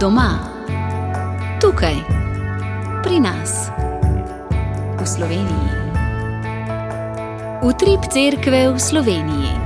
Doma, tukaj, pri nas, v Sloveniji. Utrip cerkve v Sloveniji.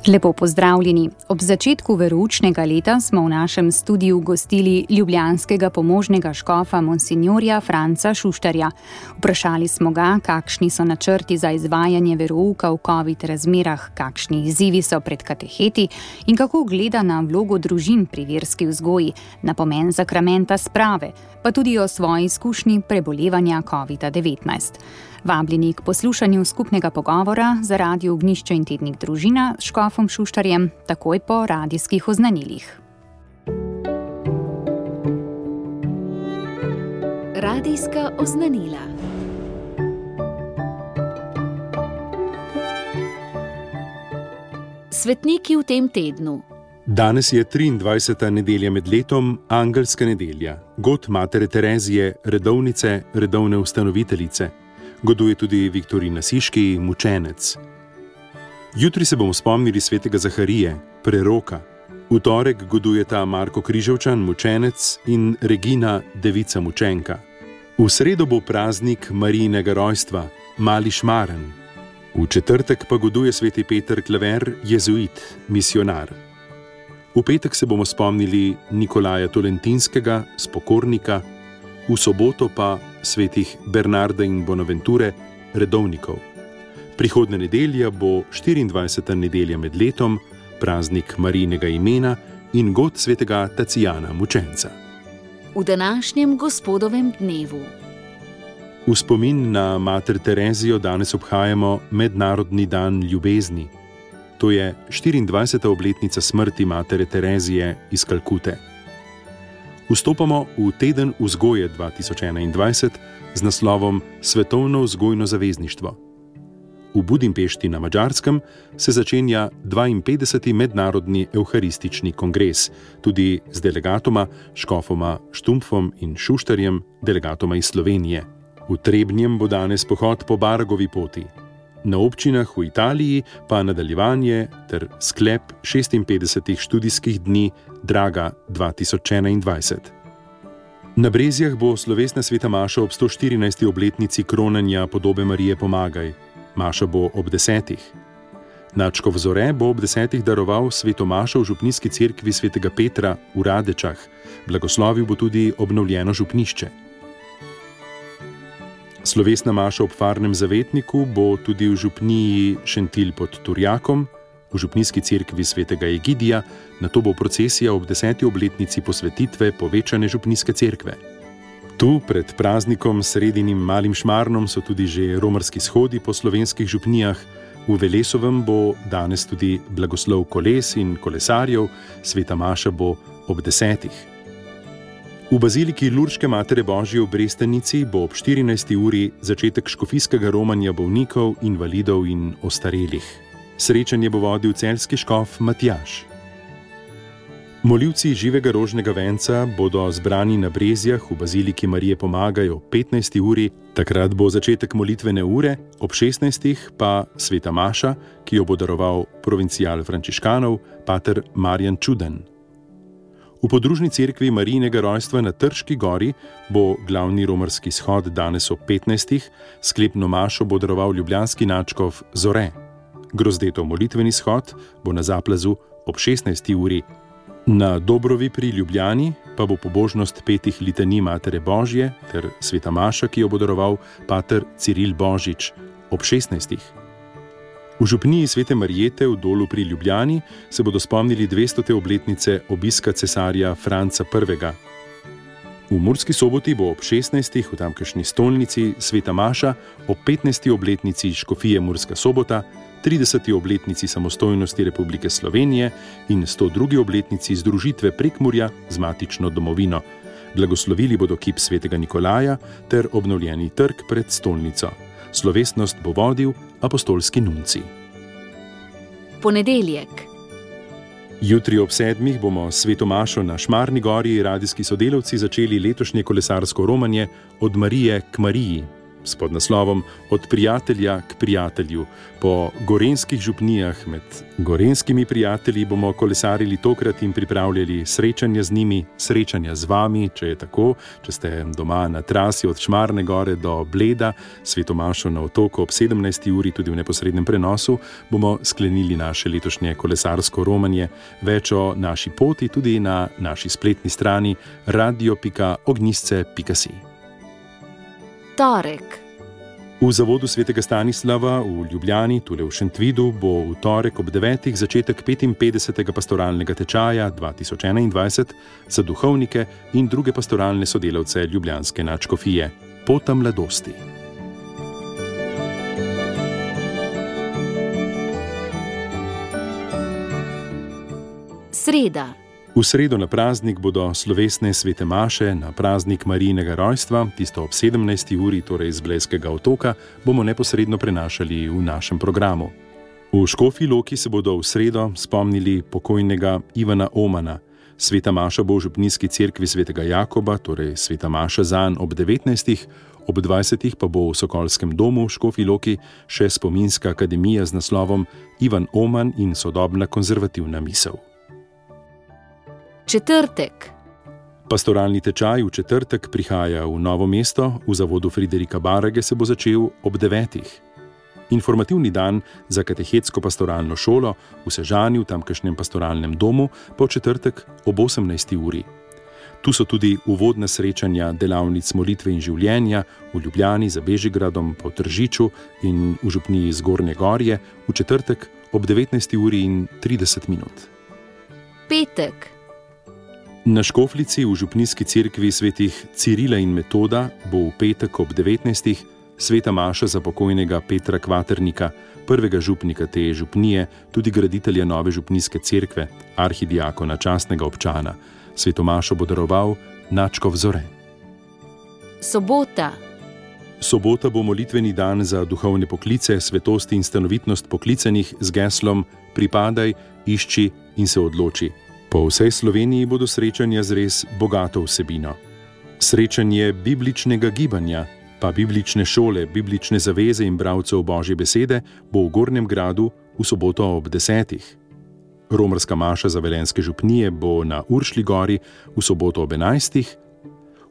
Lepo pozdravljeni. Ob začetku veroučnega leta smo v našem studiu gostili ljubljanskega pomožnega škofa monsinjorja Franca Šuštarja. Vprašali smo ga, kakšni so načrti za izvajanje verouka v COVID razmerah, kakšni izzivi so pred kateheti in kako gleda na vlogo družin pri verski vzgoji, na pomen sakramenta sprave, pa tudi o svoji izkušnji prebolevanja COVID-19. Vabljeni k poslušanju skupnega pogovora za Radio Ognjišče in Tednik Družina s škofom Šuštarjem, takoj po radijskih oznanilih. Radijska oznanila. Svetniki v tem tednu. Danes je 23. nedelja med letom, angelska nedelja, god matere Terezije, redovnice, redovne ustanoviteljice. Goduje tudi Viktorina Siški, mučenec. Jutri se bomo spomnili svetega Zaharije, preroka. V torek godujeta Marko Križevčan, mučenec, in Regina, devica mučenka. V sredo bo praznik Marijinega rojstva, mali šmaren. V četrtek pa goduje sveti Peter Klaver, jezuit, misionar. V petek se bomo spomnili Nikolaja Tolentinskega, spokornika, v soboto pa svetih Bernarda in Bonaventure, redovnikov. Prihodnja nedelja bo 24. nedelja med letom, praznik Marijinega imena in god svetega Tacijana, mučenca. V današnjem gospodovem dnevu. V spomin na mater Terezijo danes obhajamo Mednarodni dan ljubezni. To je 24. obletnica smrti matere Terezije iz Kalkute. Vstopamo v teden vzgoje 2021 z naslovom Svetovno vzgojno zavezništvo. V Budimpešti na Madžarskem se začenja 52. mednarodni evharistični kongres, tudi z delegatoma, škofoma Štumpfom in Šuštarjem, delegatoma iz Slovenije. V Trebnjem bo danes pohod po Baragovi poti. Na občinah v Italiji pa nadaljevanje ter sklep 56 študijskih dni Draga 2021. Na Brezjah bo slovesna sveta maša ob 114. obletnici kronanja podobe Marije Pomagaj. Maša bo ob 10. Nadškof Zore bo ob 10. daroval sveto mašo v župnijski cerkvi svetega Petra v Radečah. Blagoslovil bo tudi obnovljeno župnišče. Slovesna maša ob Farnem zavetniku bo tudi v župniji Šentilj pod Turjakom, v župnijski cerkvi svetega Egidija, nato bo procesija ob 10. obletnici posvetitve povečane župnijske cerkve. Tu pred praznikom sredinim malim šmarnom so tudi že romarski shodi po slovenskih župnijah, v Velesovem bo danes tudi blagoslov koles in kolesarjev, sveta maša bo ob 10. V baziliki Lurške matere Božje v Brestanici bo ob 14. uri začetek škofijskega romanja bolnikov, invalidov in ostarelih. Srečanje bo vodil celjski škof Matjaž. Molivci živega rožnega venca bodo zbrani na Brezjah v baziliki Marije Pomagaj ob 15. uri, takrat bo začetek molitvene ure, ob 16. pa sveta maša, ki jo bo daroval provincial frančiškanov, pater Marjan Čuden. V podružni cerkvi Marijinega rojstva na Trški gori bo glavni romarski shod danes ob 15. Sklepno mašo bo daroval ljubljanski nadškof Zore. Grozdetov molitveni shod bo na Zaplazu ob 16. uri. Na Dobrovi pri Ljubljani pa bo pobožnost petih litanij matere Božje ter sveta maša, ki jo bo daroval pater Ciril Božič ob 16. V župniji svete Marijete v Dolu pri Ljubljani se bodo spomnili 200. obletnice obiska cesarja Franca I. V Murski Soboti bo ob 16. v tamkajšnji stolnici sveta maša, ob 15. obletnici škofije Murska Sobota, 30. obletnici samostojnosti Republike Slovenije in 102. obletnici združitve Prekmurja z matično domovino. Blagoslovili bodo kip svetega Nikolaja ter obnovljeni trg pred stolnico. Slovesnost bo vodil apostolski nuncij. Ponedeljek. Jutri ob 7. bomo sveto mašo na Šmarni gori radijski sodelavci začeli letošnje kolesarsko romanje Od Marije k Mariji. s podnaslovom Od prijatelja k prijatelju. Po gorenjskih župnijah med gorenjskimi prijatelji bomo kolesarili tokrat in pripravljali srečanja z njimi, srečanja z vami, če je tako, če ste doma na trasi od Šmarne gore do Bleda, Sveto mašo na Otoku ob 17. uri, tudi v neposrednem prenosu, bomo sklenili naše letošnje kolesarsko romanje. Več o naši poti tudi na naši spletni strani radio.ognjisce.si. Torek. V zavodu svetega Stanislava v Ljubljani, tule v Šentvidu, bo v torek ob 9. začetek 55. pastoralnega tečaja 2021 za duhovnike in druge pastoralne sodelavce ljubljanske nadškofije. Pota mladosti. Sreda. V sredo na praznik bodo slovesne svete maše na praznik Marijinega rojstva, tisto ob 17. uri, torej iz Blejskega otoka, bomo neposredno prenašali v našem programu. V Škofji Loki se bodo v sredo spomnili pokojnega Ivana Omana. Sveta maša bo v župnijski cerkvi svetega Jakoba, torej sveta maša zanj ob 19. Ob 20. pa bo v Sokolskem domu v Škofji Loki še spominska akademija z naslovom Ivan Oman in sodobna konzervativna misel. Četrtek. Pastoralni tečaj v četrtek prihaja v Novo mesto, v zavodu Friderika Barage se bo začel ob 9. Informativni dan za katehetsko pastoralno šolo v Sežani v tamkajšnjem pastoralnem domu pa v četrtek ob 18. uri. Tu so tudi uvodna srečanja delavnic molitve in življenja v Ljubljani za Bežigradom, pa v Tržiču in v župniji Zgornje Gorje v četrtek ob 19. uri in 30 minut. Petek. Na Škofljici v župnijski cerkvi svetih Cirila in Metoda bo v petek ob 19. sveta maša za pokojnega Petra Kvaternika, prvega župnika te župnije, tudi graditelja nove župnijske cerkve, arhidiakona, častnega občana. Sveto mašo bo daroval nadškof Zore. Sobota. Sobota bo molitveni dan za duhovne poklice, svetost in stanovitnost poklicanih z geslom Pripadaj, išči in se odloči. Po vsej Sloveniji bodo srečanja z res bogato vsebino. Srečanje bibličnega gibanja, pa biblične šole, biblične zaveze in bralcev Božje besede bo v Gornjem Gradu v soboto ob 10. Romarska maša za velenjske župnije bo na Uršlji gori v soboto ob 11.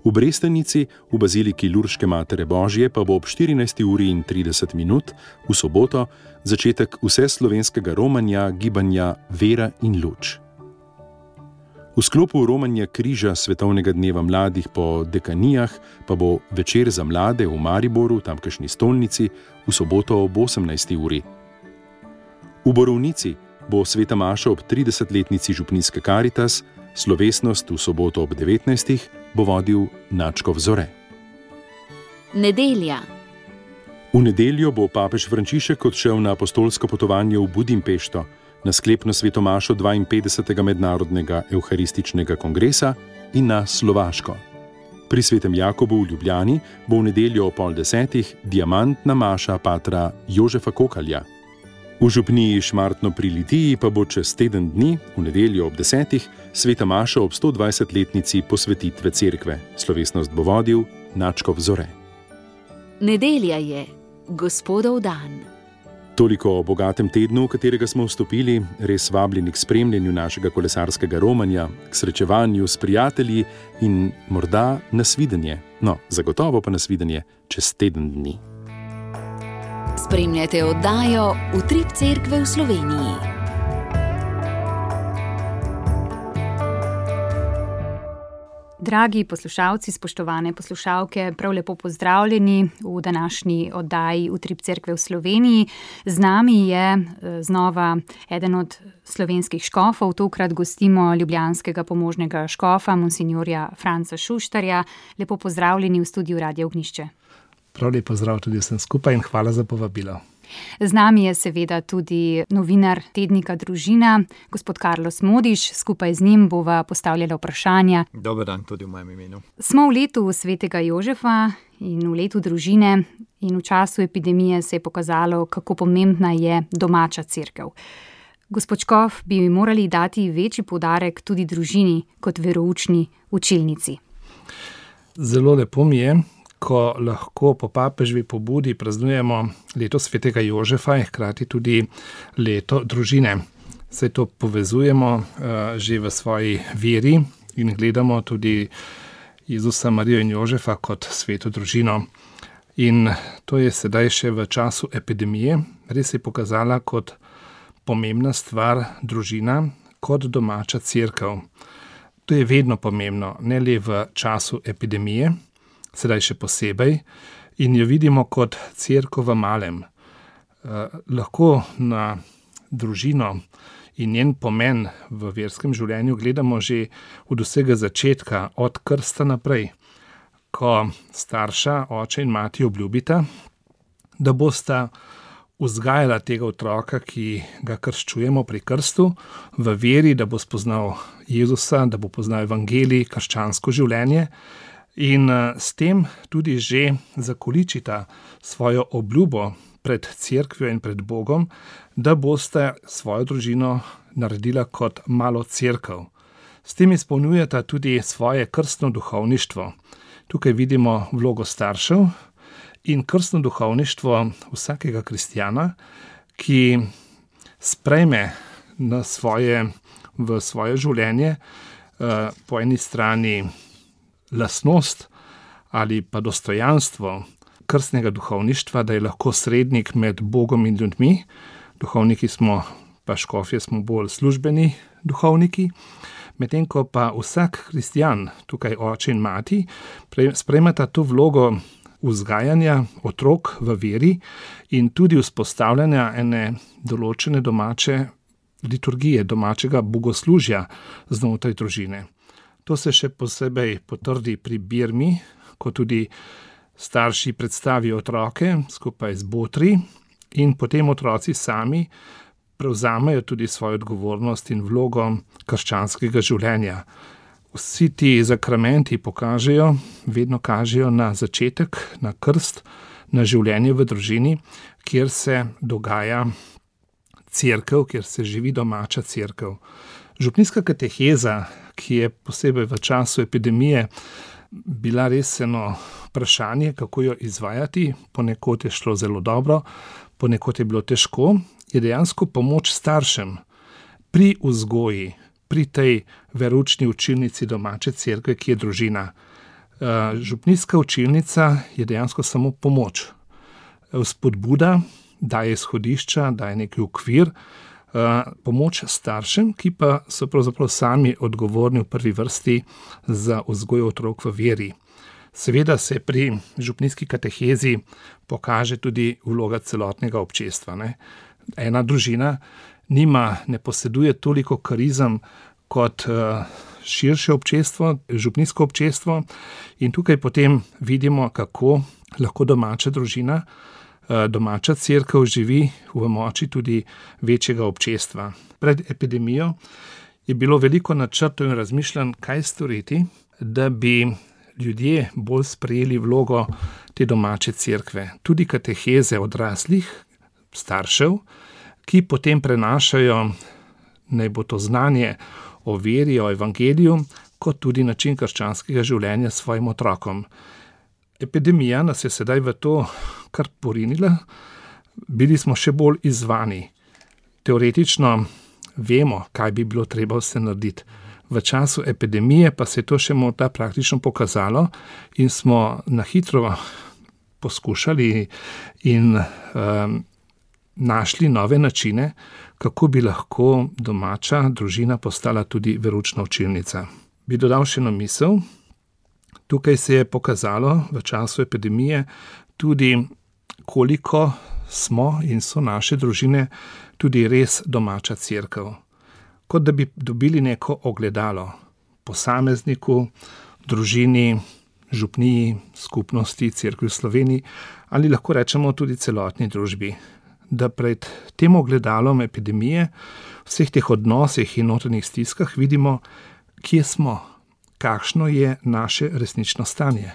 V Brestanici v baziliki Lurške Matere Božje pa bo ob 14. uri in 30 minut v soboto začetek vseslovenskega romanja gibanja Vera in luč. V sklopu romanja križa Svetovnega dneva mladih po dekanijah pa bo večer za mlade v Mariboru, tamkajšnji stolnici, v soboto ob 18. uri. V Borovnici bo sveta maša ob 30-letnici župnijske Karitas, slovesnost v soboto ob 19. bo vodil nadškof Zore. Nedelja. V nedeljo bo papež Frančišek odšel na apostolsko potovanje v Budimpešto, na sklepno sveto mašo 52. mednarodnega evharističnega kongresa in na Slovaško. Pri svetem Jakobu v Ljubljani bo v nedeljo ob 9:30 diamantna maša patra Jožefa Kokalja. V župniji Šmartno pri Litiji pa bo čez teden dni, v nedeljo ob 10. sveta maša ob 120-letnici posvetitve cerkve. Slovesnost bo vodil nadškof Zore. Nedelja je Gospodov dan. Toliko o bogatem tednu, v katerega smo vstopili, res vabljeni k spremljanju našega kolesarskega romanja, k srečevanju s prijatelji in morda nasvidenje. No, zagotovo pa nasvidenje čez teden dni. Spremljajte oddajo Utrip cerkve v Sloveniji. Dragi poslušalci, spoštovane poslušalke, prav lepo pozdravljeni v današnji oddaji Utrip cerkve v Sloveniji. Z nami je znova eden od slovenskih škofov, tokrat gostimo ljubljanskega pomožnega škofa, monsinjorja Franca Šuštarja. Lepo pozdravljeni v studiu Radia Ognjišče. Prav lep pozdrav tudi vsem skupaj in hvala za povabilo. Z nami je seveda tudi novinar tednika Družina, gospod Carlos Modiš. Skupaj z njim bova postavljala vprašanja. Dober dan tudi v mojem imenu. Smo v letu svetega Jožefa in v letu družine in v času epidemije se je pokazalo, kako pomembna je domača cerkev. Gospod škof, bi morali dati večji poudarek tudi družini kot veroučni učilnici. Zelo lepo mi je, ko lahko po papeževi pobudi praznujemo leto svetega Jožefa in hkrati tudi leto družine. Se to povezujemo že v svoji veri in gledamo tudi Jezusa, Marijo in Jožefa kot sveto družino. In to je sedaj še v času epidemije. Res je pokazala kot pomembna stvar družina, kot domača cerkev. To je vedno pomembno, ne le v času epidemije, sedaj še posebej, in jo vidimo kot cerkev v malem. Lahko na družino in njen pomen v verskem življenju gledamo že od vsega začetka, od krsta naprej, ko starša, oče in mati obljubita, da bosta vzgajala tega otroka, ki ga krščujemo pri krstu, v veri, da bo spoznal Jezusa, da bo poznal evangelij, krščansko življenje in s tem tudi že zakoličita svojo obljubo pred cerkvijo in pred Bogom, da boste svojo družino naredila kot malo cerkev. S tem izpolnjujeta tudi svoje krstno duhovništvo. Tukaj vidimo vlogo staršev in krstno duhovništvo vsakega kristjana, ki sprejme v svoje življenje po eni strani lastnost ali pa dostojanstvo krstnega duhovništva, da je lahko srednik med Bogom in ljudmi. Duhovniki smo, pa škofje smo bolj službeni duhovniki, medtem ko pa vsak kristjan, tukaj oče in mati, sprejmeta to vlogo vzgajanja otrok v veri in tudi vzpostavljanja ene določene domače liturgije, domačega bogoslužja znotraj družine. To se še posebej potrdi pri birmi, ko tudi starši predstavijo otroke skupaj z botri in potem otroci sami prevzamejo tudi svojo odgovornost in vlogo krščanskega življenja. Vsi ti zakramenti vedno kažejo na začetek, na krst, na življenje v družini, kjer se dogaja cerkev, kjer se živi domača cerkev. Župnijska kateheza, ki je posebej v času epidemije bila res eno vprašanje, kako jo izvajati, ponekod je šlo zelo dobro, ponekod je bilo težko, je dejansko pomoč staršem pri vzgoji, pri tej veroučni učilnici domače cerkve, ki je družina. Župnijska učilnica je dejansko samo pomoč. Spodbuda, daje izhodišča, daje neki okvir, pomoč staršem, ki pa so pravzaprav sami odgovorni v prvi vrsti za vzgojo otrok v veri. Seveda se pri župnijski katehezi pokaže tudi vloga celotnega občestva. Ena družina ne poseduje toliko karizem kot širše občestvo, župnijsko občestvo, in tukaj potem vidimo, kako lahko domača družina, domača cerkev živi v moči tudi večjega občestva. Pred epidemijo je bilo veliko načrtov in razmišljanj, kaj storiti, da bi ljudje bolj sprejeli vlogo te domače cerkve. Tudi kateheze odraslih, staršev, ki potem prenašajo, naj bo to znanje o veri, o evangeliju, kot tudi način krščanskega življenja svojim otrokom. Epidemija nas je sedaj v to kar porinila, bili smo še bolj izzvani. Teoretično vemo, kaj bi bilo treba vse narediti. V času epidemije pa se je to še morda praktično pokazalo in smo na hitro poskušali in našli nove načine, kako bi lahko domača družina postala tudi veroučna učilnica. Bi dodal še eno misel. Tukaj se je pokazalo v času epidemije tudi, koliko smo in so naše družine tudi res domača cerkev. Kot da bi dobili neko ogledalo posamezniku, družini, župniji, skupnosti, cerkvi v Sloveniji ali lahko rečemo tudi celotni družbi. Da pred tem ogledalom epidemije, vseh teh odnosih in notranjih stiskah vidimo, kje smo, kakšno je naše resnično stanje.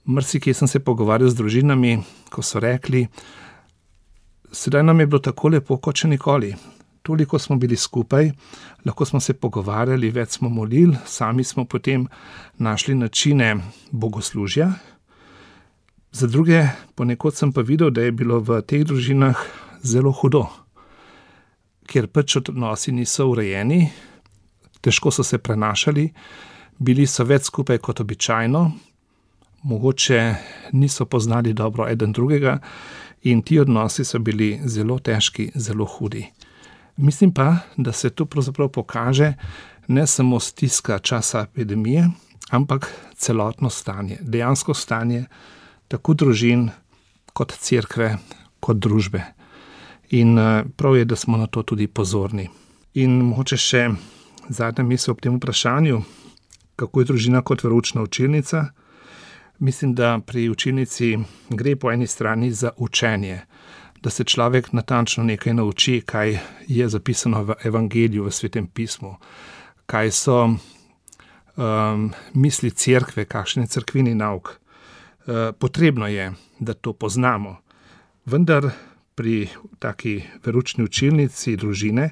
Marsikje sem se pogovarjal z družinami, ko so rekli, sedaj nam je bilo tako lepo kot še nikoli. Toliko smo bili skupaj, lahko smo se pogovarjali, več smo molili, sami smo potem našli načine bogoslužja Za druge, ponekod sem pa videl, da je bilo v teh družinah zelo hudo, ker pač odnosi niso urejeni, težko so se prenašali, bili so več skupaj kot običajno, mogoče niso poznali dobro eden drugega in ti odnosi so bili zelo težki, zelo hudi. Mislim pa, da se tu pravzaprav pokaže ne samo stiska časa epidemije, ampak celotno stanje, dejansko stanje tako družin kot cerkve, kot družbe. In prav je, da smo na to tudi pozorni. In mogoče še zadnja misel ob tem vprašanju, kako je družina kot veroučna učilnica. Mislim, da pri učilnici gre po eni strani za učenje, da se človek natančno nekaj nauči, kaj je zapisano v Evangeliju, v Svetem pismu, kaj so misli cerkve, kakšen je cerkveni nauk. Potrebno je, da to poznamo. Vendar pri taki veroučni učilnici družine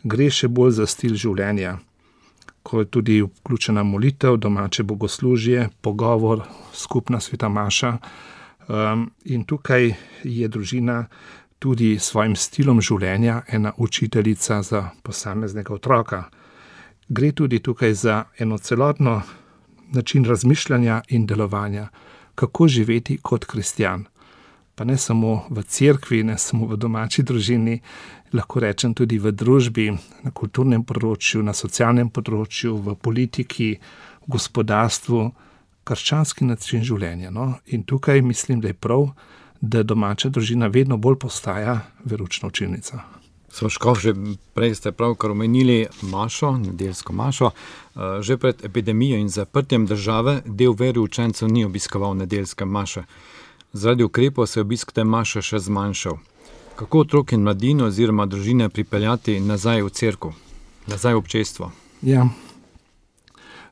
gre še bolj za stil življenja, ko je tudi vključena molitev, domače bogoslužje, pogovor, skupna sveta maša. In tukaj je družina tudi s svojim stilom življenja ena učiteljica za posameznega otroka. Gre tudi tukaj za eno celotno način razmišljanja in delovanja, kako živeti kot kristjan. Pa ne samo v cerkvi, ne samo v domači družini, lahko rečem tudi v družbi, na kulturnem področju, na socialnem področju, v politiki, v gospodarstvu, krščanski način življenja. No? In tukaj mislim, da je prav, da domača družina vedno bolj postaja veroučna učilnica. Škof, že prej ste pravkar omenili mašo, nedeljsko mašo. Že pred epidemijo in zaprtjem države del veroučencev ni obiskoval nedeljske maše. Zaradi ukrepov se je obisk te maše še zmanjšal. Kako otrok in mladino oziroma družine pripeljati nazaj v cerkev, nazaj v občestvo? Ja,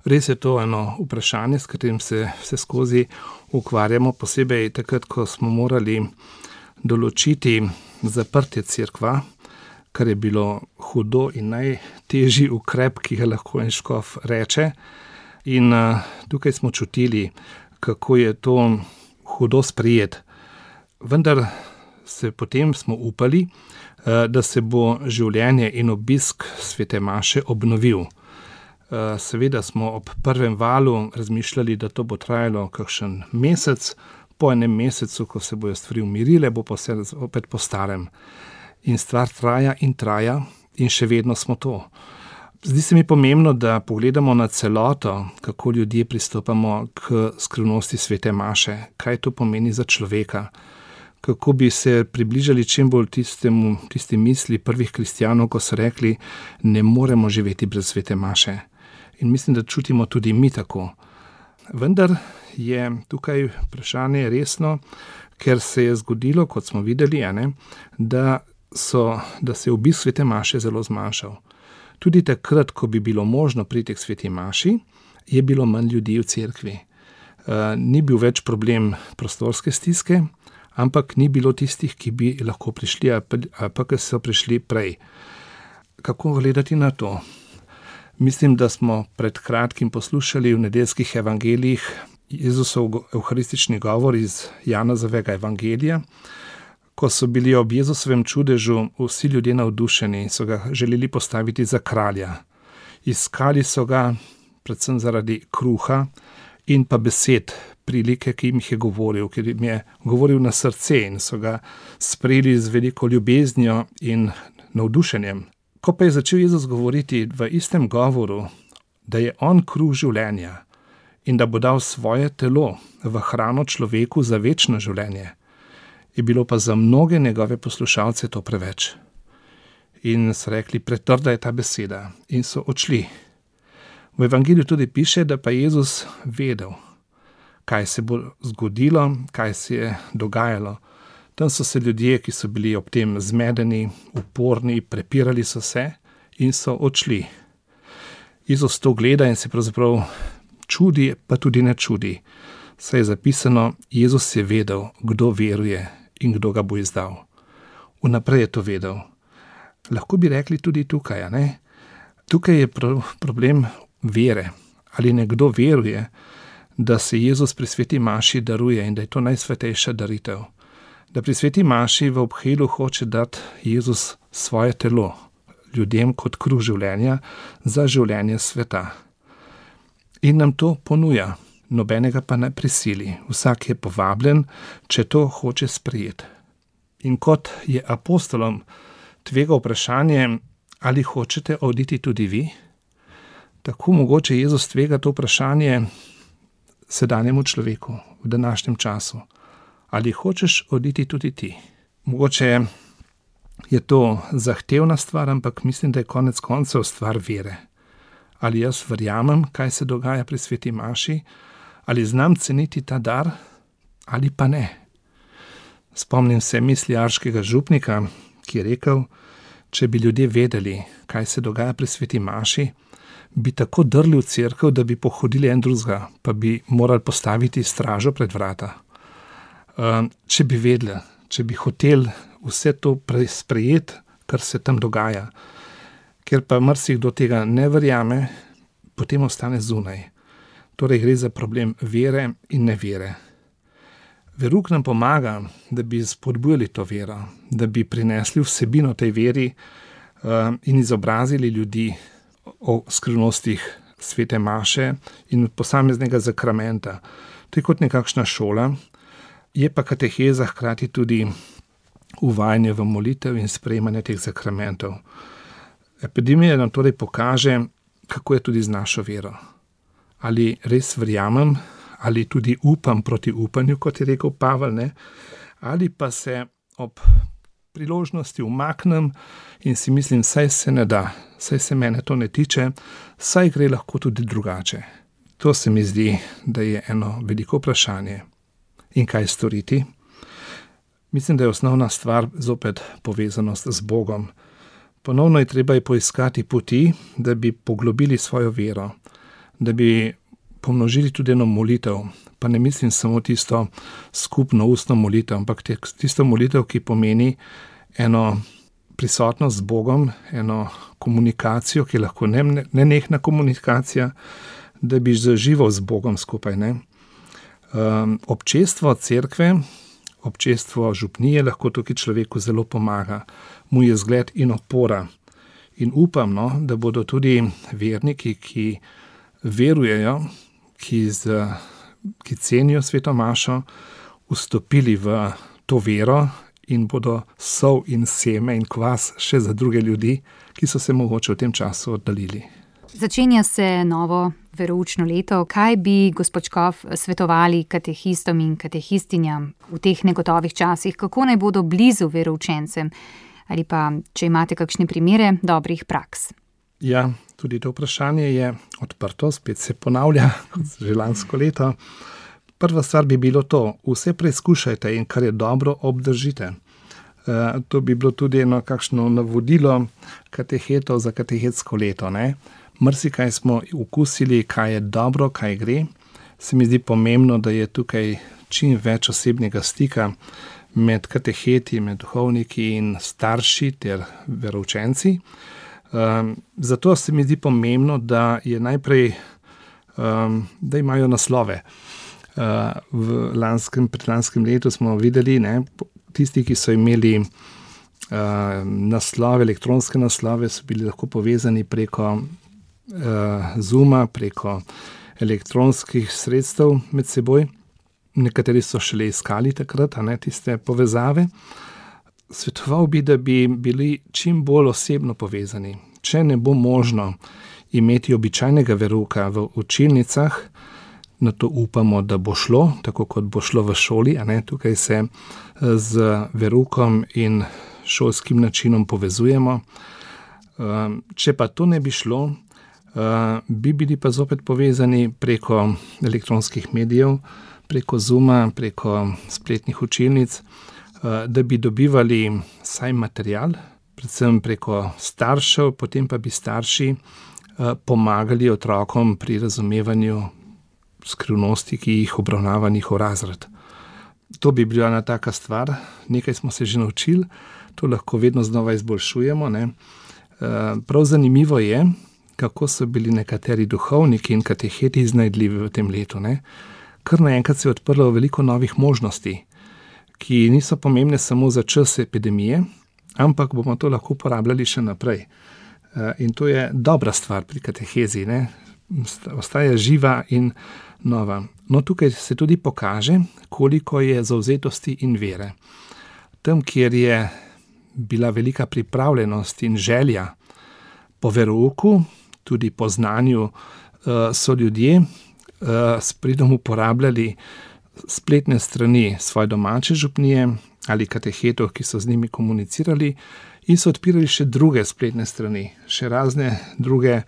res je to eno vprašanje, s katerim se vse skozi ukvarjamo, posebej takrat, ko smo morali določiti zaprtje cerkva, kar je bilo hudo in najtežji ukrep, ki ga lahko en škof reče. In tukaj smo čutili, kako je to hudo sprejet. Vendar potem smo upali, da se bo življenje in obisk svete maše obnovil. Seveda smo ob prvem valu razmišljali, da to bo trajalo kakšen mesec, po enem mesecu, ko se bojo stvari umirile, bo pa vse opet po starem. In stvar traja in še vedno smo to. Zdi se mi pomembno, da pogledamo na celoto, kako ljudje pristopamo k skrivnosti svete maše, kaj to pomeni za človeka, kako bi se približali čim bolj tisti misli prvih kristjanov, ko so rekli, ne moremo živeti brez svete maše. In mislim, da čutimo tudi mi tako. Vendar je tukaj vprašanje resno, ker se je zgodilo, kot smo videli, da se je obisk svete maše zelo zmanjšal. Tudi takrat, ko bi bilo možno priti k sveti maši, je bilo manj ljudi v cerkvi. Ni bil več problem prostorske stiske, ampak ni bilo tistih, ki bi lahko prišli, pa ki so prišli prej. Kako gledati na to? Mislim, da smo pred kratkim poslušali v nedeljskih evangelijih Jezusov evharistični govor iz Janezovega evangelija, ko so bili ob Jezusovem čudežu vsi ljudje navdušeni in so ga želeli postaviti za kralja. Iskali so ga predvsem zaradi kruha in pa besed, prilike, ki jim je govoril, ker jim je govoril na srce in so ga sprejeli z veliko ljubeznijo in navdušenjem. Ko pa je začel Jezus govoriti v istem govoru, da je on kruh življenja in da bo dal svoje telo v hrano človeku za večno življenje, je bilo pa za mnoge njegove poslušalce to preveč. In so rekli, pretrda je ta beseda, in so odšli. V evangeliju tudi piše, da pa Jezus vedel, kaj se bo zgodilo, kaj se je dogajalo. Tam so se ljudje, ki so bili ob tem zmedeni, uporni, prepirali so se in so odšli. Jezus to gleda in se pravzaprav čudi, pa tudi ne čudi. Saj je zapisano, Jezus je vedel, kdo veruje in kdo ga bo izdal. Vnaprej je to vedel. Lahko bi rekli tudi tukaj, Tukaj je problem vere. Ali nekdo veruje, da se Jezus pri sveti maši daruje in da je to najsvetejša daritev. Da pri sveti maši v obhelu hoče dati Jezus svoje telo ljudem kot kruh življenja za življenje sveta. In nam to ponuja, nobenega pa ne prisili. Vsak je povabljen, če to hoče sprejeti. In kot je apostolom tvega vprašanje, ali hočete oditi tudi vi, tako mogoče Jezus tvega to vprašanje sedanjemu človeku v današnjem času. Ali hočeš oditi tudi ti? Mogoče je to zahtevna stvar, ampak mislim, da je konec koncev stvar vere. Ali jaz verjamem, kaj se dogaja pri sveti maši, ali znam ceniti ta dar, ali pa ne. Spomnim se misli arškega župnika, ki je rekel, če bi ljudje vedeli, kaj se dogaja pri sveti maši, bi tako drli v cerkev, da bi pohodili en drugega, pa bi morali postaviti stražo pred vrata. Če bi vedeli, če bi hoteli vse to sprejeti, kar se tam dogaja, ker pa marsikdo tega ne verjame, potem ostane zunaj. Torej gre za problem vere in nevere. Verouk nam pomaga, da bi spodbujali to vero, da bi prinesli vsebino tej veri in izobrazili ljudi o skrivnostih svete maše in posameznega zakramenta. To je kot nekakšna šola, je pa kateheza hkrati tudi uvajanje v molitev in sprejemanje teh zakramentov. Epidemija nam torej pokaže, kako je tudi z našo vero. Ali res verjamem, ali tudi upam proti upanju, kot je rekel Pavel, ne? Ali pa se ob priložnosti umaknem in si mislim, saj se ne da, saj se mene to ne tiče, saj gre lahko tudi drugače. To se mi zdi, da je eno veliko vprašanje. In kaj storiti? Mislim, da je osnovna stvar zopet povezanost z Bogom. Ponovno je treba poiskati poti, da bi poglobili svojo vero, da bi pomnožili tudi eno molitev, pa ne mislim samo tisto skupno ustno molitev, ampak tisto molitev, ki pomeni eno prisotnost z Bogom, eno komunikacijo, ki je lahko nenehna komunikacija, da bi zaživel z Bogom skupaj. Ne? Občestvo cerkve, občestvo župnije lahko tukaj človeku zelo pomaga, mu je zgled in opora. In upam, da bodo tudi verniki, ki verujejo, ki cenijo sveto mašo, vstopili v to vero in bodo sol in seme in kvas še za druge ljudi, ki so se mogoče v tem času oddaljili. Začenja se novo veroučno leto. Kaj bi, gospod Škof, svetovali katehistom in katehistinjam v teh negotovih časih? Kako naj bodo blizu veroučencem? Ali pa, če imate kakšne primere dobrih praks? Ja, tudi to vprašanje je odprto, spet se ponavlja, kot že lansko leto. Prva stvar bi bilo to, vse preizkušajte in kar je dobro, obdržite. To bi bilo tudi eno kakšno navodilo katehetov za katehetsko leto. Marsikaj smo okusili, kaj je dobro, kaj gre. Se mi zdi pomembno, da je tukaj čim več osebnega stika med kateheti, med duhovniki in starši ter veroučenci. Zato se mi zdi pomembno, da je najprej, da imajo naslove. Pred lanskim letu smo videli, tisti, ki so imeli naslove, elektronske naslove, so bili lahko povezani preko Zooma, preko elektronskih sredstev med seboj. Nekateri so šele iskali takrat, tiste povezave. Svetoval bi, da bi bili čim bolj osebno povezani. Če ne bo možno imeti običajnega verouka v učilnicah, na to upamo, da bo šlo, tako kot bo šlo v šoli. Tukaj se z veroukom in šolskim načinom povezujemo. Če pa to ne bi šlo, bi bili pa zopet povezani preko elektronskih medijev, preko Zooma, preko spletnih učilnic, da bi dobivali saj material, predvsem preko staršev, potem pa bi starši pomagali otrokom pri razumevanju skrivnosti, ki jih obravnava njihov razred. To bi bila ena taka stvar, nekaj smo se že naučili, to lahko vedno znova izboljšujemo. Prav zanimivo je, kako so bili nekateri duhovniki in kateheti iznajdljivi v tem letu. Ne? Kar naenkrat se je odprlo veliko novih možnosti, ki niso pomembne samo za čas epidemije, ampak bomo to lahko uporabljali še naprej. In to je dobra stvar pri katehezi, ne? Ostaja živa in nova. No, tukaj se tudi pokaže, koliko je zavzetosti in vere. Tam, kjer je bila velika pripravljenost in želja po verouku, tudi po znanju, so ljudje s pridom uporabljali spletne strani svoje domače župnije ali katehetov, ki so z njimi komunicirali, in so odpirali še druge spletne strani, še razne druge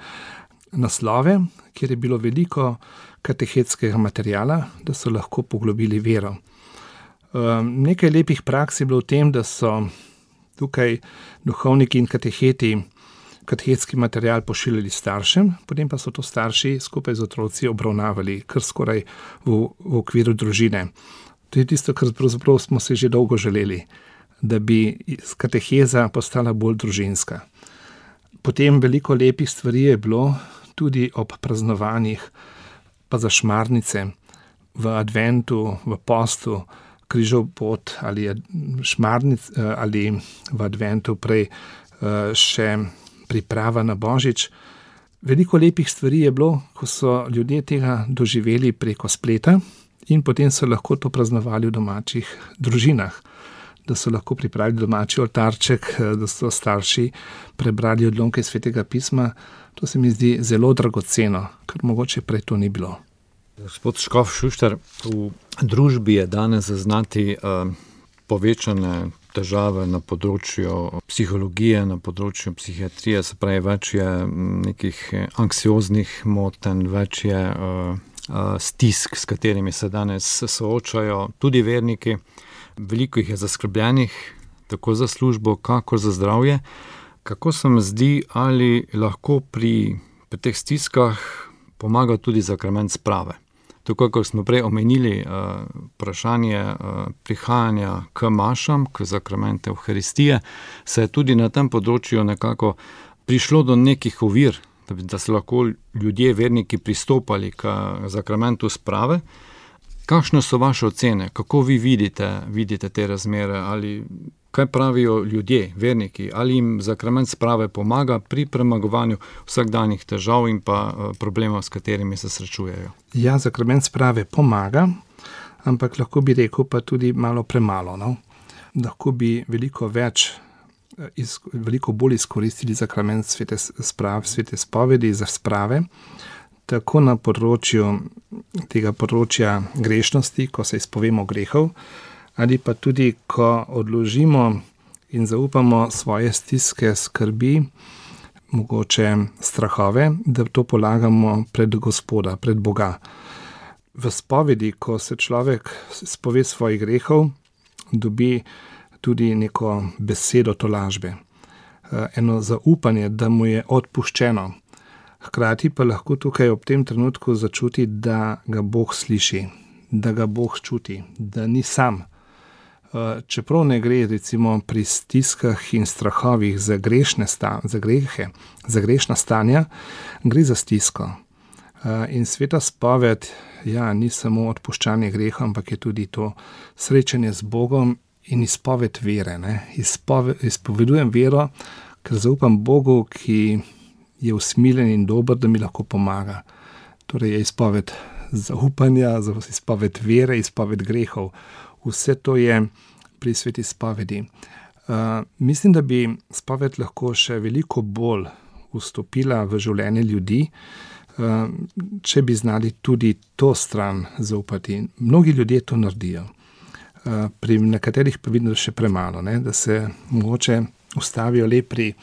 naslove, kjer je bilo veliko katehetskega materijala, da so lahko poglobili vero. Nekaj lepih praks je bilo v tem, da so tukaj duhovniki in kateheti katehetski material pošiljali staršem, potem pa so to starši skupaj z otroci obravnavali kar skoraj v okviru družine. To je tisto, kar pravzaprav smo se že dolgo želeli, da bi kateheza postala bolj družinska. Potem veliko lepih stvari je bilo tudi ob praznovanjih, pa za šmarnice, v adventu, v postu, križov pot ali šmarnic, ali v adventu prej še priprava na Božič. Veliko lepih stvari je bilo, ko so ljudje tega doživeli preko spleta in potem so lahko to praznovali v domačih družinah, da so lahko pripravili domači oltarček, da so starši prebrali odlomke Svetega pisma. To se mi zdi zelo dragoceno, ker mogoče prej to ni bilo. Gospod škof Šuštar, v družbi je danes zaznati povečane težave na področju psihologije, na področju psihiatrije, se pravi, več je nekih anksioznih motenj, več je stisk, s katerimi se danes soočajo tudi verniki. Veliko jih je zaskrbljenih, tako za službo, kakor za zdravje. Kako se mi zdi, ali lahko pri teh stiskah pomaga tudi sakrament sprave? Tako, kot smo prej omenili, vprašanje prihajanja k mašam, k sakramentu Evharistije, se je tudi na tem področju nekako prišlo do nekih ovir, da so lahko ljudje, verniki, pristopali k sakramentu sprave. Kakšne so vaše ocene? Kako vi vidite te razmere? Ali kaj pravijo ljudje, verniki? Ali jim sakrament sprave pomaga pri premagovanju vsakdanjih težav in pa problemov, s katerimi se srečujejo? Ja, sakrament sprave pomaga, ampak lahko bi rekel pa tudi malo premalo. No? Lahko bi veliko bolj izkoristili sakrament svete spovedi za sprave, tako na tega področja grešnosti, ko se izpovemo grehov, ali pa tudi, ko odložimo in zaupamo svoje stiske, skrbi, mogoče strahove, da to polagamo pred Gospoda, pred Boga. V spovedi, ko se človek spove svojih grehov, dobi tudi neko besedo tolažbe, eno zaupanje, da mu je odpuščeno. Hkrati pa lahko tukaj ob tem trenutku začuti, da ga Bog sliši, da ga Bog čuti, da ni sam. Čeprav ne gre recimo pri stiskah in strahovih za grešne grehe, za grešna stanja, gre za stisko. In sveta spoved, ni samo odpuščanje grehov, ampak je tudi to srečanje z Bogom in izpoved vere. Izpovedujem vero, ker zaupam Bogu, ki je usmiljen in dober, da mi lahko pomaga. Torej je izpoved zaupanja, izpoved vere, izpoved grehov. Vse to je pri sveti spovedi. Mislim, da bi spoved lahko še veliko bolj vstopila v življenje ljudi, če bi znali tudi to stran zaupati. Mnogi ljudje to naredijo. Pri nekaterih pa vidim, da še premalo, da se mogoče ustavijo le pri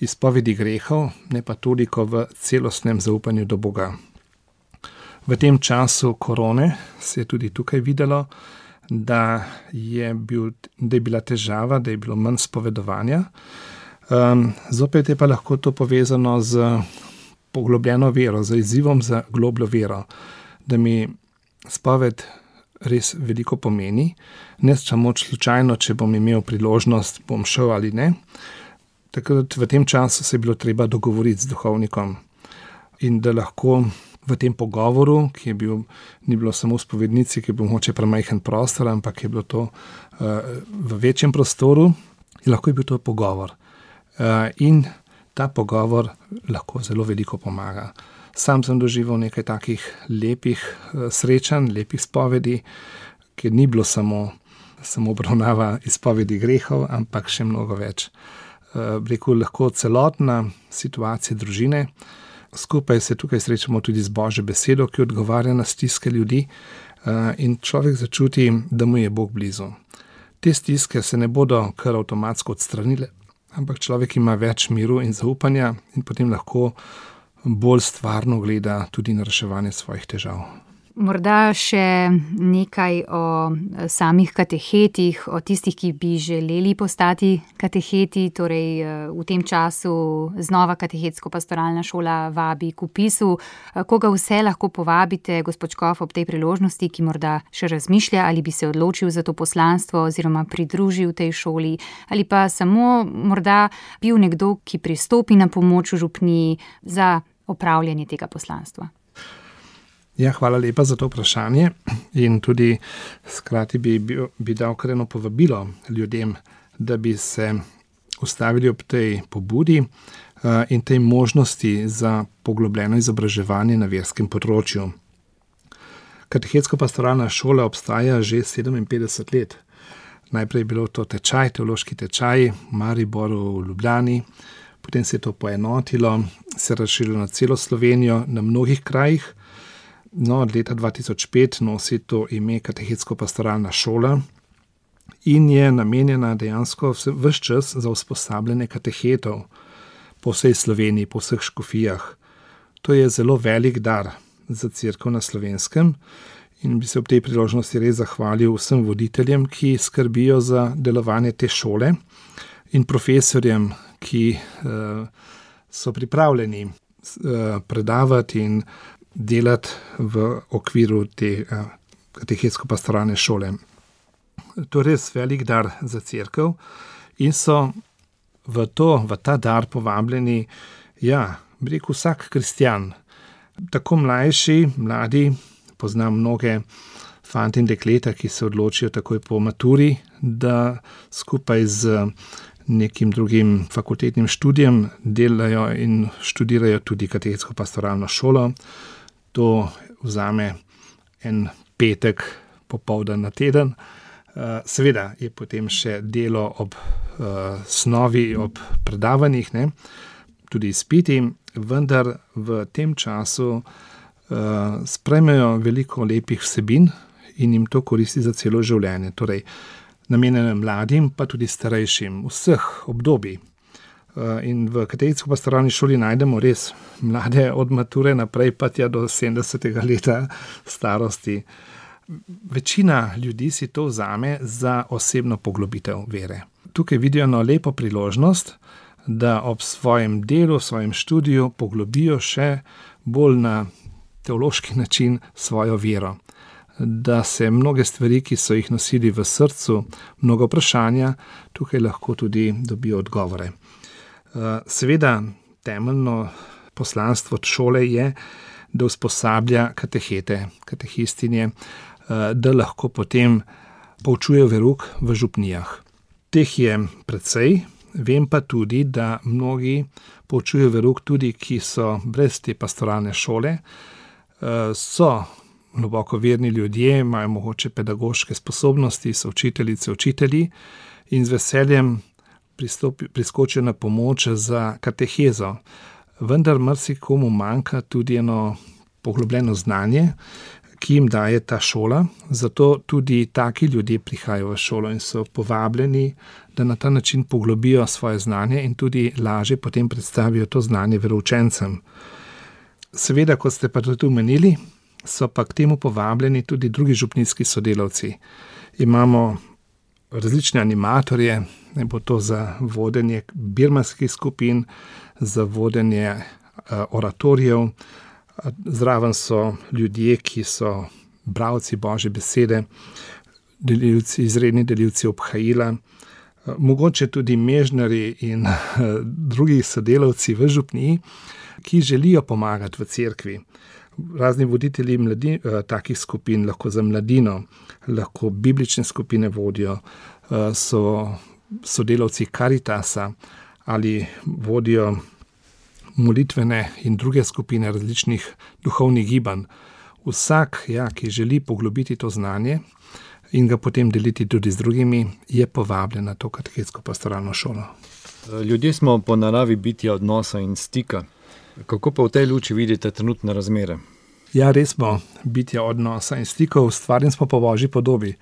izpovedi grehov, ne pa toliko v celostnem zaupanju do Boga. V tem času korone se je tudi tukaj videlo, da je bila težava, da je bilo manj spovedovanja. Zopet je pa lahko to povezano z poglobljeno vero, z izzivom za globljo vero, da mi spoved res veliko pomeni, ne samo slučajno, če bom imel priložnost, bom šel ali ne. Takrat v tem času se je bilo treba dogovoriti z duhovnikom, in da lahko v tem pogovoru, ki je bil, ni bilo samo v spovednici, ki je bil mogoče premajhen prostor, ampak je bilo to v večjem prostoru, in lahko je bil to pogovor. In ta pogovor lahko zelo veliko pomaga. Sam sem doživel nekaj takih lepih srečanj, lepih spovedi, kjer ni bilo samo obravnava izpovedi grehov, ampak še mnogo več. Rekel, lahko celotna situacija družine, skupaj se tukaj srečamo tudi z Božjo besedo, ki odgovarja na stiske ljudi, in človek začuti, da mu je Bog blizu. Te stiske se ne bodo kar avtomatsko odstranile, ampak človek ima več miru in zaupanja in potem lahko bolj stvarno gleda tudi na reševanje svojih težav. Morda še nekaj o samih katechetih, o tistih, ki bi želeli postati kateheti, torej v tem času znova Katechetsko-pastoralna šola vabi k vpisu. Koga vse lahko povabite, gospod Škof, ob tej priložnosti, ki morda še razmišlja, ali bi se odločil za to poslanstvo oziroma pridružil tej šoli, ali pa samo morda bil nekdo, ki pristopi na pomoč v župniji za opravljanje tega poslanstva? Ja, hvala lepa za to vprašanje in tudi skrati bi dal kar eno povabilo ljudem, da bi se ustavili ob tej pobudi in tej možnosti za poglobljeno izobraževanje na verskem področju. Katechetsko-pastoralna šola obstaja že 57 let. Najprej je bilo to teološki tečaj v Mariboru, v Ljubljani, potem se je to poenotilo, se razširilo na celo Slovenijo, na mnogih krajih. No, od leta 2005 nosi to ime Katechetsko-pastoralna šola in je namenjena dejansko ves čas za usposabljanje katehetov po vsej Sloveniji, po vseh škofijah. To je zelo velik dar za Cerkev na Slovenskem in bi se ob tej priložnosti res zahvalil vsem voditeljem, ki skrbijo za delovanje te šole, in profesorjem, ki so pripravljeni predavati in delati v okviru te Katechetsko-pastoralne šole. To je res velik dar za Cerkev in so v ta dar povabljeni, bi rekel, vsak kristjan, tako mlajši, mladi, poznam mnoge fante in dekleta, ki se odločijo takoj po maturi, da skupaj z nekim drugim fakultetnim študijem delajo in študirajo tudi Katechetsko-pastoralno šolo. To vzame en petek popoldan na teden. Seveda je potem še delo ob snovi, ob predavanjih, tudi izpiti, vendar v tem času sprejmejo veliko lepih vsebin in jim to koristi za celo življenje. Torej, namenjeno mladim, pa tudi starejšim, vseh obdobij. In v Katechetsko-pastoralni šoli najdemo res mlade od mature naprej, pa tja do 70. leta starosti. Večina ljudi si to vzame za osebno poglobitev vere. Tukaj vidijo eno lepo priložnost, da ob svojem delu, svojem študiju poglobijo še bolj na teološki način svojo vero. Da se mnoge stvari, ki so jih nosili v srcu, mnogo vprašanja, tukaj lahko tudi dobijo odgovore. Seveda, temeljno poslanstvo šole je, da usposablja katehete, katehistinje, da lahko potem poučujejo verouk v župnijah. Teh je precej, vem pa tudi, da mnogi poučujejo verouk tudi, ki so brez te pastoralne šole, so globoko verni ljudje, imajo mogoče pedagoške sposobnosti, so učiteljice, učitelji in z veseljem priskočijo na pomoč za katehezo. Vendar marsikomu manjka tudi eno poglobljeno znanje, ki jim daje ta šola, zato tudi taki ljudje prihajajo v šolo in so povabljeni, da na ta način poglobijo svoje znanje in tudi lažje potem predstavijo to znanje veroučencem. Seveda, kot ste pa tudi omenili, so pa k temu povabljeni tudi drugi župnijski sodelavci. Imamo različne animatorje, ne bo to za vodenje birmanskih skupin, za vodenje oratorijev. Zraven so ljudje, ki so bralci Božje besede, izredni delilci obhajila, mogoče tudi mežnarji in drugi sodelavci v župniji, ki želijo pomagati v cerkvi. Razni voditelji takih skupin, lahko za mladino, lahko biblične skupine vodijo, so sodelavci Karitasa ali vodijo molitvene in druge skupine različnih duhovnih gibanj. Vsak, ki želi poglobiti to znanje in ga potem deliti tudi z drugimi, je povabljen na to katechetsko pastoralno šolo. Ljudje smo po naravi bitja odnosa in stika. Kako pa v tej luči vidite trenutne razmere? Ja, res smo bitja odnosa in stikov, ustvarjeni smo po Božji podobi.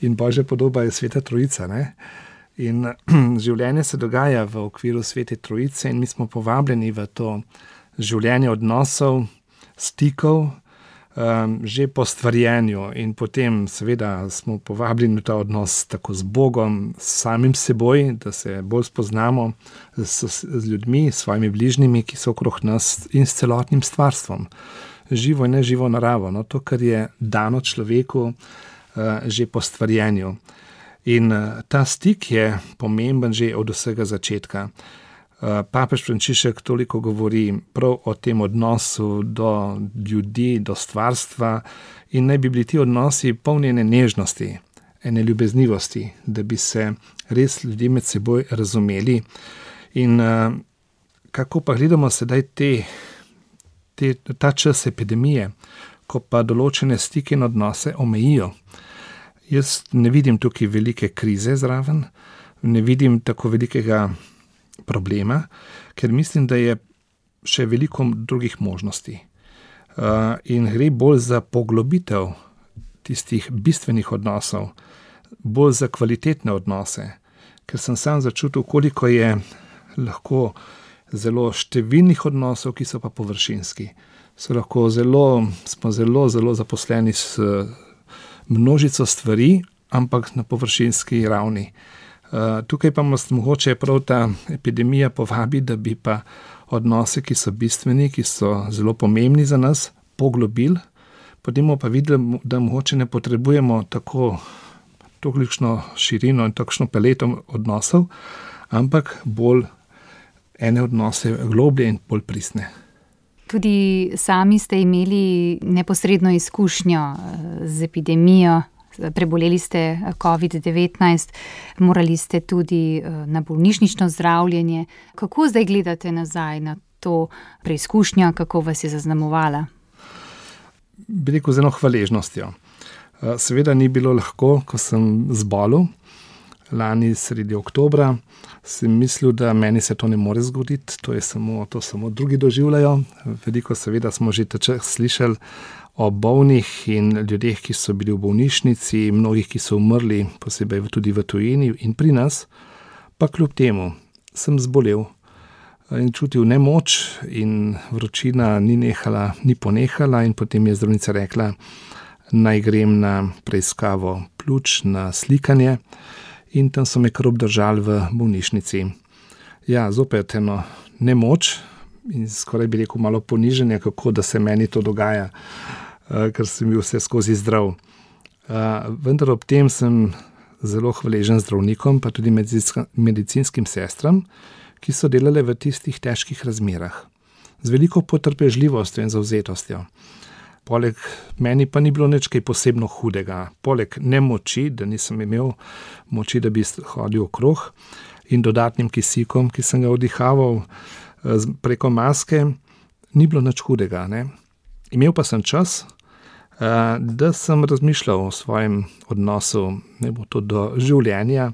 In Božja podoba je Sveta Trojica, ne? In življenje se dogaja v okviru Svete Trojice in mi smo povabljeni v to življenje odnosov, stikov, že po stvarjenju in potem seveda smo povabljeni v ta odnos tako z Bogom, s samim seboj, da se bolj spoznamo z ljudmi, s svojimi bližnjimi, ki so okrog nas in s celotnim stvarstvom. Živo in neživo naravo, to, kar je dano človeku že po stvarjenju. In ta stik je pomemben že od vsega začetka. Papež Frančišek toliko govori prav o tem odnosu do ljudi, do stvarstva in naj bi bili ti odnosi polni ene nežnosti, ene ljubeznivosti, da bi se res ljudje med seboj razumeli. In kako pa gledamo sedaj ta čas epidemije, ko pa določene stike in odnose omejijo. Jaz ne vidim tukaj velike krize zraven, ne vidim tako velikega problema, ker mislim, da je še veliko drugih možnosti. In gre bolj za poglobitev tistih bistvenih odnosov, bolj za kvalitetne odnose, ker sem sam začutil, koliko je lahko zelo številnih odnosov, ki so pa površinski. Smo zelo zaposleni s množico stvari, ampak na površinski ravni. Tukaj pa nas mogoče prav ta epidemija povabi, da bi pa odnose, ki so bistveni, ki so zelo pomembni za nas, poglobili, potem bomo pa videli, da mogoče ne potrebujemo tolikšno širino in takšno paleto odnosov, ampak bolj ene odnose globlje in bolj pristne. Tudi sami ste imeli neposredno izkušnjo z epidemijo, preboleli ste COVID-19, morali ste tudi na bolnišnično zdravljenje. Kako zdaj gledate nazaj na to preizkušnjo, kako vas je zaznamovala? Bi rekel z eno hvaležnostjo. Seveda ni bilo lahko, ko sem zbolel. Lani sredi oktobra sem mislil, da meni se to ne more zgoditi, to samo drugi doživljajo. Veliko seveda smo že čas slišali o bolnih in ljudeh, ki so bili v bolnišnici, mnogih, ki so umrli, posebej tudi v tujini in pri nas, pa kljub temu sem zbolel in čutil nemoč in vročina ni ponehala in potem je zdravnica rekla, naj grem na preiskavo pljuč, na slikanje. In tam so me kar obdržali v bolnišnici. Ja, zopet eno nemoč in skoraj bi rekel malo poniženje, kako da se meni to dogaja, ker sem bil vse skozi zdrav. Vendar ob tem sem zelo hvaležen zdravnikom, pa tudi medicinskim sestram, ki so delale v tistih težkih razmerah. Z veliko potrpežljivostjo in zavzetostjo. Poleg meni pa ni bilo nič kaj posebno hudega. Poleg nemoči, da nisem imel moči, da bi hodil okrog, in dodatnim kisikom, ki sem ga vdihaval preko maske, ni bilo nič hudega. Ne? Imel pa sem čas, da sem razmišljal o svojem odnosu, ne bo to do življenja,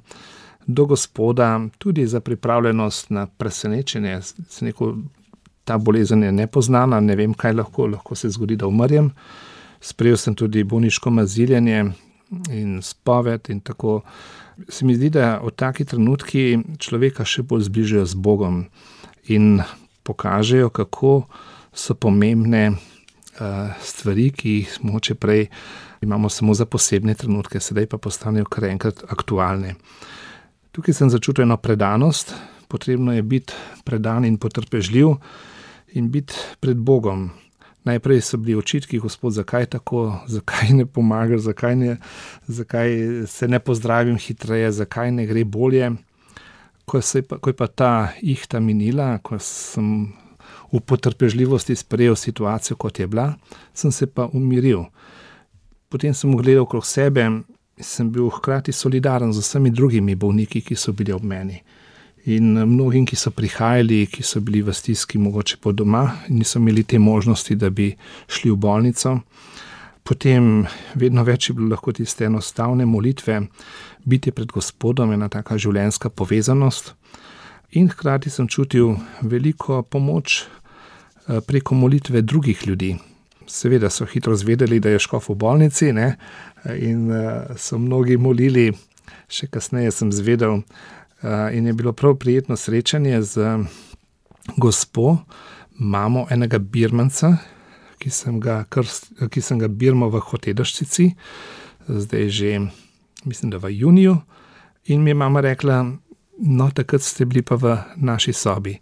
do Gospoda, tudi za pripravljenost na presenečenje. Sem rekel, ta bolezen je nepoznana, ne vem, kaj lahko se zgodi, da umrem. Sprejel sem tudi bolniško maziljenje in spoved in tako. Se mi zdi, da v taki trenutki človeka še bolj zbližajo z Bogom in pokažejo, kako so pomembne stvari, ki jih mogoče prej imamo samo za posebne trenutke, sedaj pa postanejo kar enkrat aktualne. Tukaj sem začutil eno predanost, potrebno je biti predan in potrpežljiv in biti pred Bogom. Najprej so bili očitki, Gospod, zakaj tako, zakaj ne pomagaš, zakaj se ne pozdravim hitreje, zakaj ne gre bolje. Ko je pa ta ihta minila, ko sem v potrpežljivosti sprejel situacijo, kot je bila, sem se pa umiril. Potem sem gledal okrog sebe in sem bil hkrati solidaren z vsemi drugimi bolniki, ki so bili ob meni. In mnogim, ki so prihajali, ki so bili v stiski mogoče po doma in niso imeli te možnosti, da bi šli v bolnico. Potem vedno več je bilo lahko tiste enostavne molitve, biti pred Gospodom, ena taka življenjska povezanost. In hkrati sem čutil veliko pomoč preko molitve drugih ljudi. Seveda so hitro zvedeli, da je škof v bolnici, ne? In so mnogi molili, še kasneje sem zvedel, in je bilo prav prijetno srečanje z gospo, mamo enega birmanca, ki sem ga birmal v Hotedršici, zdaj že, mislim, da v juniju, in mi je mama rekla, no, takrat ste bili pa v naši sobi.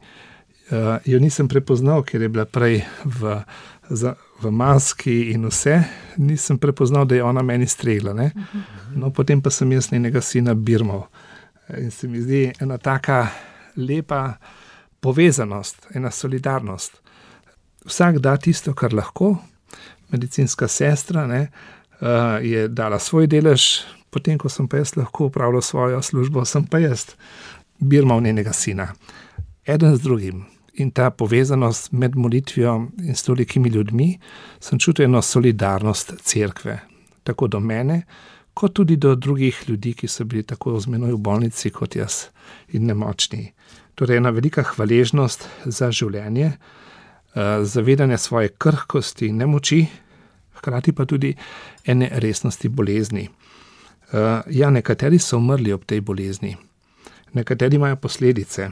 Jo nisem prepoznal, ker je bila prej v maski in vse, nisem prepoznal, da je ona meni stregla, ne? No, potem pa sem jaz njenega sina birmal. In se mi zdi ena taka lepa povezanost, ena solidarnost. Vsak da tisto, kar lahko. Medicinska sestra, ne, je dala svoj delež, potem, ko sem pa jaz lahko upravljal svojo službo, sem pa jaz birmal njenega sina. Eden z drugim. In ta povezanost med molitvijo in s tolikimi ljudmi, sem čutil eno solidarnost cerkve. Tako do mene, kot tudi do drugih ljudi, ki so bili tako z menoj v bolnici kot jaz in nemočni. Torej ena velika hvaležnost za življenje, zavedanje svoje krhkosti in nemoči, hkrati pa tudi ene resnosti bolezni. Ja, nekateri so umrli ob tej bolezni, nekateri imajo posledice.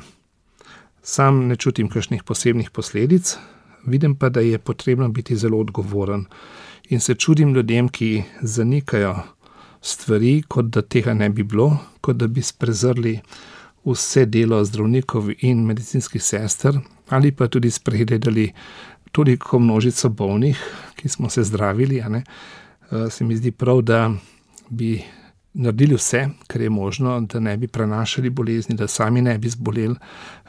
Sam ne čutim kakšnih posebnih posledic, vidim pa, da je potrebno biti zelo odgovoren in se čudim ljudem, ki zanikajo stvari, kot da tega ne bi bilo, kot da bi sprezrli vse delo zdravnikov in medicinskih sester, ali pa tudi spregledali toliko množico bolnih, ki smo se zdravili, a ne. Se mi zdi prav, da bi naredili vse, kar je možno, da ne bi prenašali bolezni, da sami ne bi zboleli,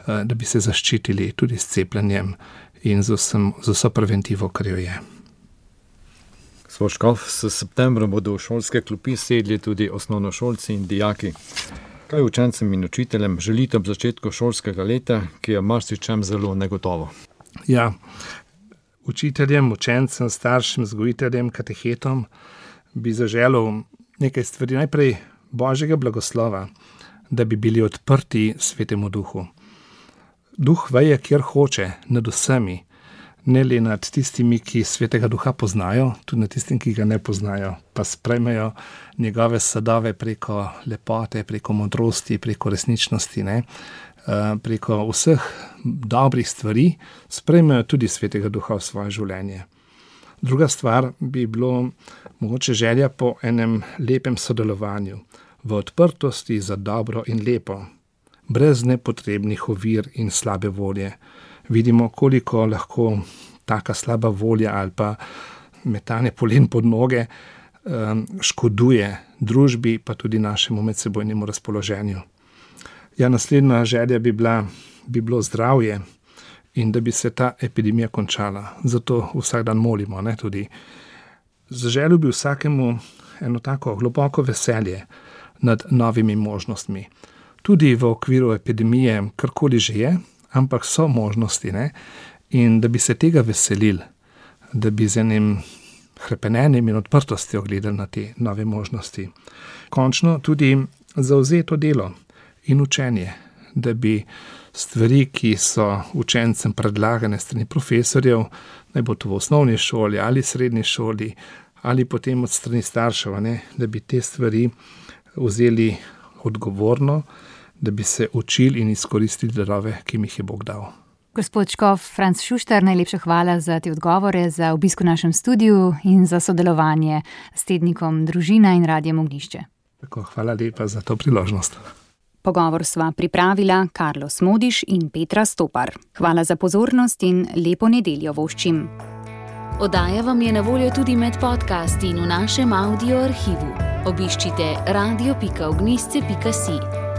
da bi se zaščitili tudi s cepljenjem in z vso preventivo, kar jo je. Gospod škof, s septembrom bodo v šolske klopi sedli tudi osnovnošolci in dijaki. Kaj učencem in učiteljem želite ob začetku šolskega leta, ki je marsičem zelo negotovo? Ja, učiteljem, učencem, staršem, vzgojiteljem, katehetom bi zaželel nekaj stvari. Najprej Božjega blagoslova, da bi bili odprti Svetemu Duhu. Duh veje, kjer hoče, nad vsemi, ne le nad tistimi, ki Svetega Duha poznajo, tudi nad tistim, ki ga ne poznajo, pa sprejmejo njegove sadove preko lepote, preko modrosti, preko resničnosti, ne? Preko vseh dobrih stvari, sprejmejo tudi Svetega Duha v svoje življenje. Druga stvar bi bilo mogoče želja po enem lepem sodelovanju, v odprtosti za dobro in lepo, brez nepotrebnih ovir in slabe volje. Vidimo, koliko lahko taka slaba volja ali pa metanje polen pod noge škoduje družbi, pa tudi našemu medsebojnemu razpoloženju. Ja, naslednja želja bi bilo zdravje in da bi se ta epidemija končala. Zato vsak dan molimo, ne, tudi. Zaželil bi vsakemu eno tako globoko veselje nad novimi možnostmi. Tudi v okviru epidemije, karkoli že je, ampak so možnosti, ne? In da bi se tega veselili, da bi z enim hrepenenjem in odprtostjo gledali na te nove možnosti. Končno tudi zavzeto delo in učenje, da bi stvari, ki so učencem predlagane strani profesorjev, naj bo to v osnovni šoli ali srednji šoli, ali potem od strani staršev, ne? Da bi te stvari vzeli odgovorno, da bi se učili in izkoristili darove, ki jim jih je Bog dal. Gospod škof Franc Šuštar, najlepša hvala za te odgovore, za obisk v našem studiu in za sodelovanje s tednikom Družina in Radiem Ognjišče. Tako, hvala lepa za to priložnost. Pogovor sva pripravila Karlo Smodiš in Petra Stopar. Hvala za pozornost in lepo nedeljo voščim. Oddaja vam je na voljo tudi med podcasti in v našem audio arhivu. Obiščite radio.ognjišče.si.